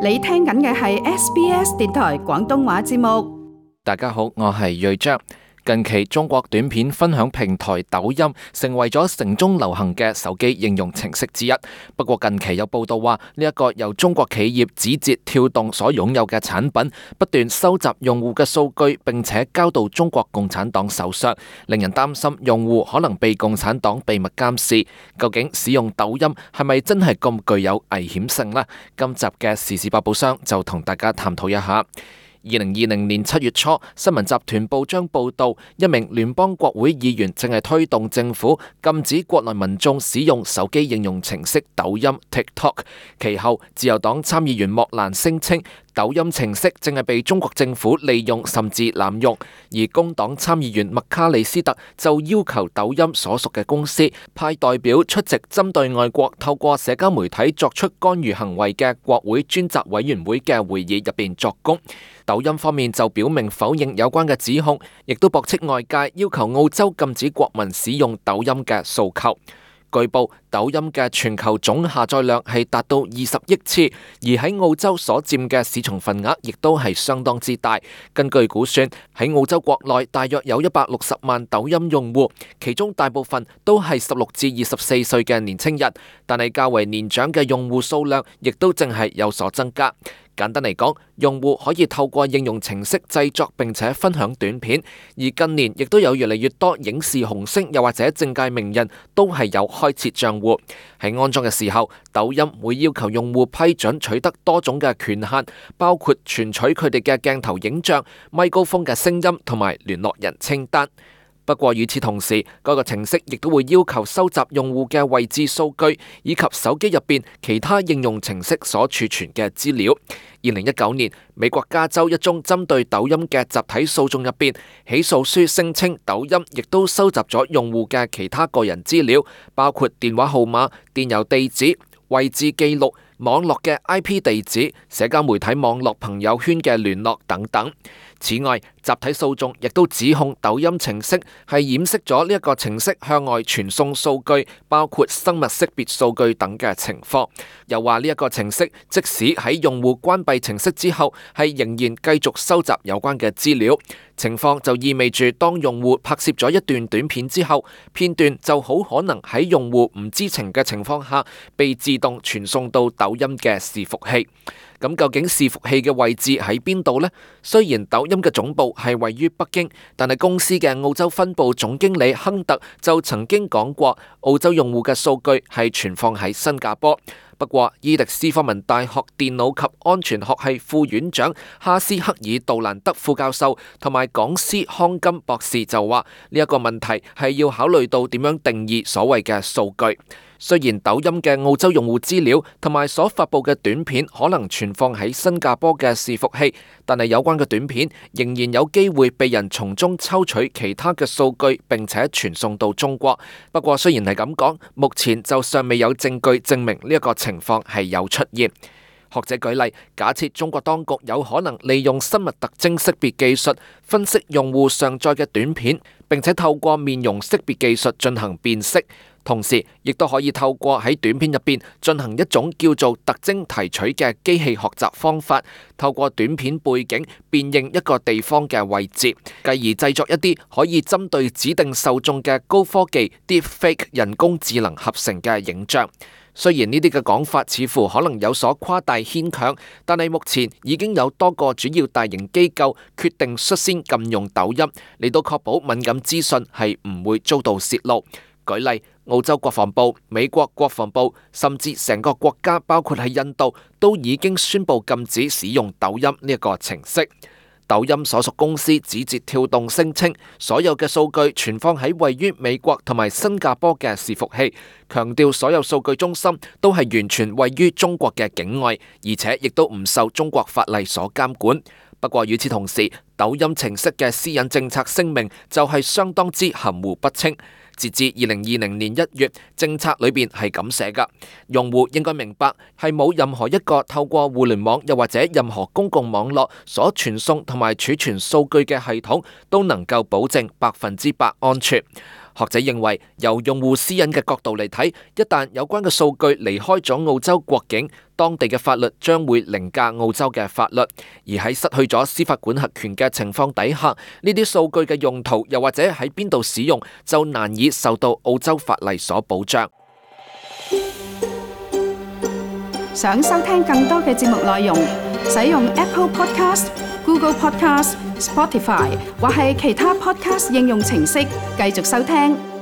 你聽緊嘅係 SBS 電台廣東話節目。大家好，我係睿章。近期中國短片分享平台抖音成為咗城中流行嘅手機應用程式之一。不過近期有報道話，呢一個由中國企業字節跳動所擁有嘅產品，不斷收集用戶嘅數據，並且交到中國共產黨手上，令人擔心用戶可能被共產黨秘密監視。究竟使用抖音係咪真係咁具有危險性呢？今集嘅時事百寶箱就同大家探討一下。2020年7月初，新聞集團報章報道，一名聯邦國會議員正係推動政府禁止國內民眾使用手機應用程式抖音 TikTok。其後，自由黨參議員莫蘭聲稱，抖音程式正係被中國政府利用甚至濫用，而工黨參議員麥卡里斯特就要求抖音所屬嘅公司派代表出席針對外國透過社交媒體作出干預行為嘅國會專責委員會嘅會議入邊作供。抖音方面就表明否認有關嘅指控，亦都駁斥外界要求澳洲禁止國民使用抖音嘅訴求。據報，抖音嘅全球總下載量係達到20億次，而喺澳洲所佔嘅市場份額亦都係相當之大。根據估算，喺澳洲國內大約有160萬抖音用戶，其中大部分都係16至24歲嘅年輕人，但係較為年長嘅用戶數量亦都正係有所增加。簡單嚟講，用戶可以透過應用程式製作並且分享短片，而近年亦都有越嚟越多影視紅星又或者政界名人都係有開設賬戶。喺安裝嘅時候，抖音會要求用戶批准取得多種嘅權限，包括存取佢哋嘅鏡頭影像、咪高峰嘅聲音同埋聯絡人清單。不過與此同時，嗰個程式亦都會要求收集用戶嘅位置數據，以及手機入邊其他應用程式所儲存嘅資料。2019年，美國加州一宗針對抖音嘅集體訴訟入邊，起訴書聲稱抖音亦都收集咗用戶嘅其他個人資料，包括電話號碼、電郵地址、位置記錄、網絡嘅 IP 地址、社交媒體網絡朋友圈嘅聯絡等等。此外，集體訴訟亦都指控抖音程式係掩飾咗呢一個程式向外傳送數據，包括生物識別數據等嘅情況。又話呢一個程式即使喺用戶關閉程式之後，係仍然繼續收集有關嘅資料。情況就意味住，當用戶拍攝咗一段短片之後，片段就好可能喺用戶唔知情嘅情況下，被自動傳送到抖音嘅伺服器。咁究竟伺服器嘅位置喺邊度呢？雖然抖音嘅總部係位於北京，但係公司嘅澳洲分部總經理亨特就曾經講過，澳洲用戶嘅數據係存放喺新加坡。不過，伊迪斯科文大學電腦及安全學系副院長哈斯克爾杜蘭德副教授同埋講師康金博士就話，呢一個問題係要考慮到點樣定義所謂嘅數據。雖然抖音嘅澳洲用戶資料同埋所發佈嘅短片可能存放喺新加坡嘅伺服器，但係有關嘅短片仍然有機會被人從中抽取其他嘅數據，並且傳送到中國。不過雖然係咁講，目前就尚未有證據證明呢一個情況係有出現。學者舉例，假設中國當局有可能利用生物特徵識別技術分析用戶上載嘅短片，並且透過面容識別技術進行辨識，同時亦都可以透過喺短片入邊進行一種叫做特徵提取嘅機器學習方法，透過短片背景辨認一個地方嘅位置，繼而製作一啲可以針對指定受眾嘅高科技 Deepfake 人工智能合成嘅影像。雖然呢啲嘅講法似乎可能有所誇大牽強，但係目前已經有多個主要大型機構決定率先禁用抖音，嚟到確保敏感資訊係唔會遭到洩露。舉例，澳洲國防部、美國國防部，甚至成個國家，包括喺印度，都已經宣布禁止使用抖音呢一個程式。抖音所屬公司字節跳動聲稱，所有嘅數據存放喺位於美國同埋新加坡嘅伺服器，強調所有數據中心都係完全位於中國嘅境外，而且亦都唔受中國法例所監管。不過與此同時，抖音程式嘅私隱政策聲明就係相當之含糊不清。截至2020年1月，政策裏邊係咁寫噶，用戶應該明白係冇任何一個透過互聯網又或者任何公共網絡所傳送同埋儲存數據嘅系統都能夠保證100%安全。學者認為，由用戶私隱嘅角度嚟睇，一旦有關嘅數據離開咗澳洲國境，當地嘅法律將會凌駕澳洲嘅法律，而喺失去咗司法管轄權嘅情況底下，呢啲數據嘅用途又或者喺邊度使用，就難以受到澳洲法例所保障。想收聽更多嘅節目內容，使用 Apple Podcast、Google Podcast、Spotify 或係其他 Podcast 應用程式繼續收聽。